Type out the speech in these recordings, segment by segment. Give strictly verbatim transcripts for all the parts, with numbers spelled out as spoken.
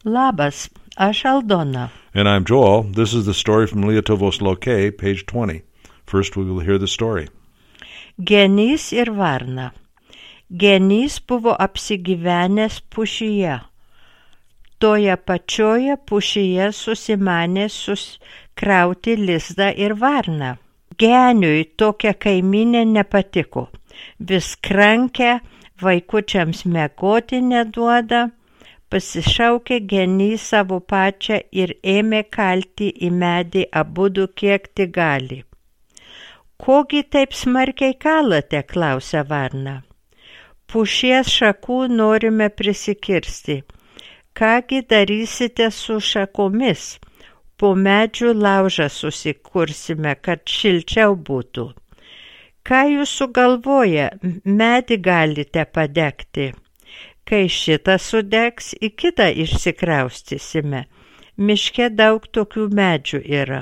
Labas, aš Aldona. And I'm Joel. This is the story from Lietuvos Lokė, page twenty. First we will hear the story. Genys ir varna. Genys buvo apsigyvenęs pušyje. Toje pačioje pušyje susimanė suskrauti lizdą ir varną. Geniui tokia kaiminė nepatiko. Vis krankę, vaikučiams miegoti neduoda. Pasišaukė genys savo pačią ir ėmė kalti į medį abudu kiek tik gali. Kogi taip smarkiai kalate, klausia varna. Pušies šakų norime prisikirsti. Kągi darysite su šakomis? Po medžių laužą susikursime, kad šilčiau būtų. Ką jūs sugalvoja, medį galite padegti. Kai šitą sudegs, į kitą išsikraustysime. Miške daug tokių medžių yra.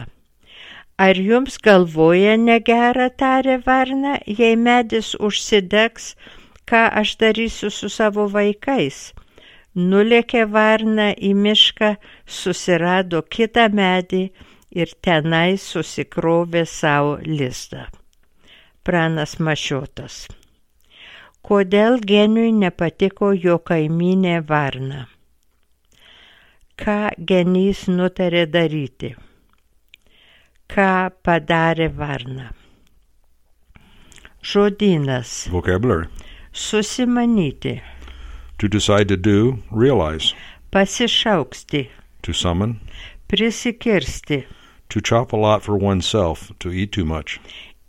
Ar jums galvoja negera, tarė varna, jei medis užsidegs, ką aš darysiu su savo vaikais? Nulėkė varna į mišką, susirado kitą medį ir tenai susikrovė savo lizdą. Pranas Mašiotas. Kodėl geniui nepatiko jo kaimynė varna? Ką genys nutarė daryti? Ką padarė varna? Žodynas. Vocabulary. Susimanyti. To decide to do, realize. Pasišauksti. To summon. Prisikirsti. To chop a lot for oneself, to eat too much.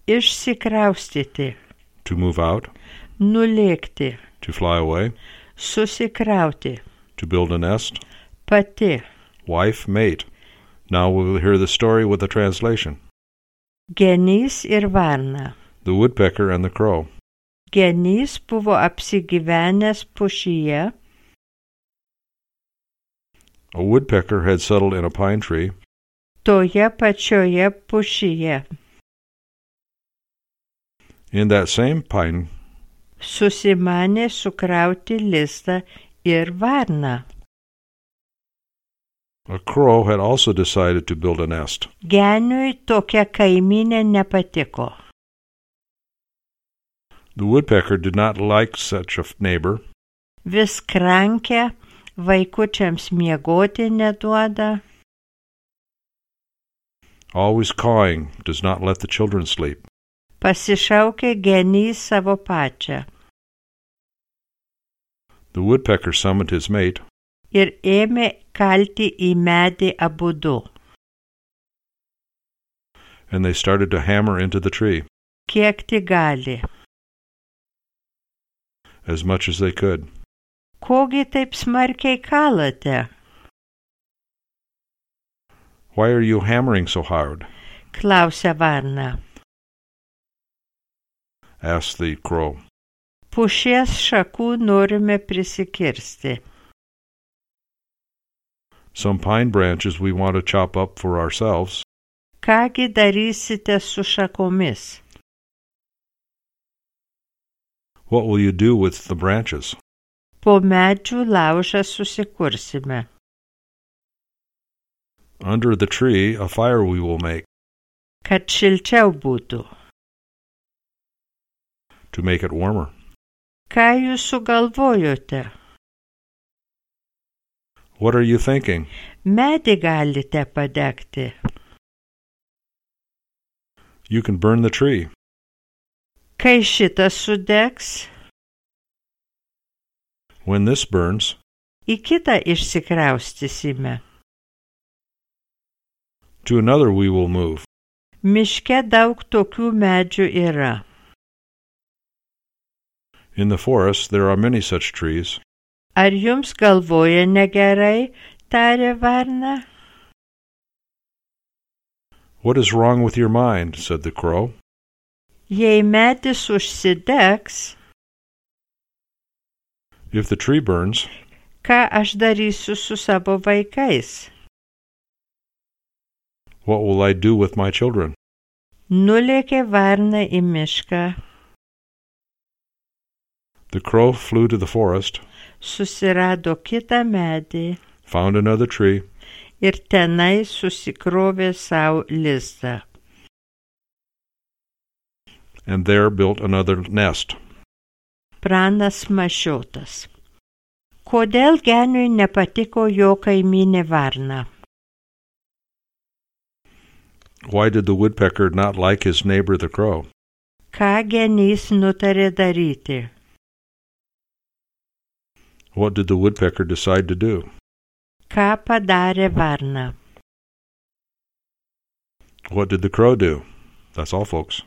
Išsikraustyti. To move out. Nulėkti. To fly away. Susikrauti. To build a nest. Pati. Wife, mate. Now we will hear the story with a translation. Genys ir varna. The woodpecker and the crow. Genys buvo apsigyvenęs pušyje. A woodpecker had settled in a pine tree. Toje pačioje pušyje. In that same pine Susimanė sukrauti lizdą ir varną. a crow had also decided to build a nest. Geniui tokia kaiminė nepatiko. The woodpecker did not like such a neighbor. Vis krankę, vaikučiams miegoti neduoda. Always cawing, does not let the children sleep. Pasišaukė genys savo pačią. The woodpecker summoned his mate. Ir ėmė kalti į medį abudu. And they started to hammer into the tree. Kiek tik gali. As much as they could. Kogi taip smarkiai kalate? Why are you hammering so hard? Klausia varna. Asked the crow. Pušies šakų norime prisikirsti. Some pine branches we want to chop up for ourselves. Kągi darysite su šakomis? What will you do with the branches? Po medžių laužą susikursime. Under the tree, a fire we will make. Kad šilčiau būtų. To make it warmer. Ką jūs sugalvojote? What are you thinking? Medį galite padegti. You can burn the tree. Kai šitas sudegs, When this burns, į kitą išsikraustysime. to another we will move. Miške daug tokių medžių yra. In the forest, there are many such trees. Ar jums galvoja negerai, tarė varna? What is wrong with your mind? Said the crow. Jei medis užsidegs, If the tree burns, ką aš darysiu su savo vaikais? what will I do with my children? Nulėkė varna į mišką. The crow flew to the forest, Susirado kitą medį. found another tree, ir tenai susikrovė savo lizdą. and there built another nest. Pranas Mašiotas. Kodėl geniui nepatiko jo kaimynė varna? Why did the woodpecker not like his neighbor the crow? Ką genys nutarė daryti? What did the woodpecker decide to do? Ką padarė varna? What did the crow do? That's all, folks.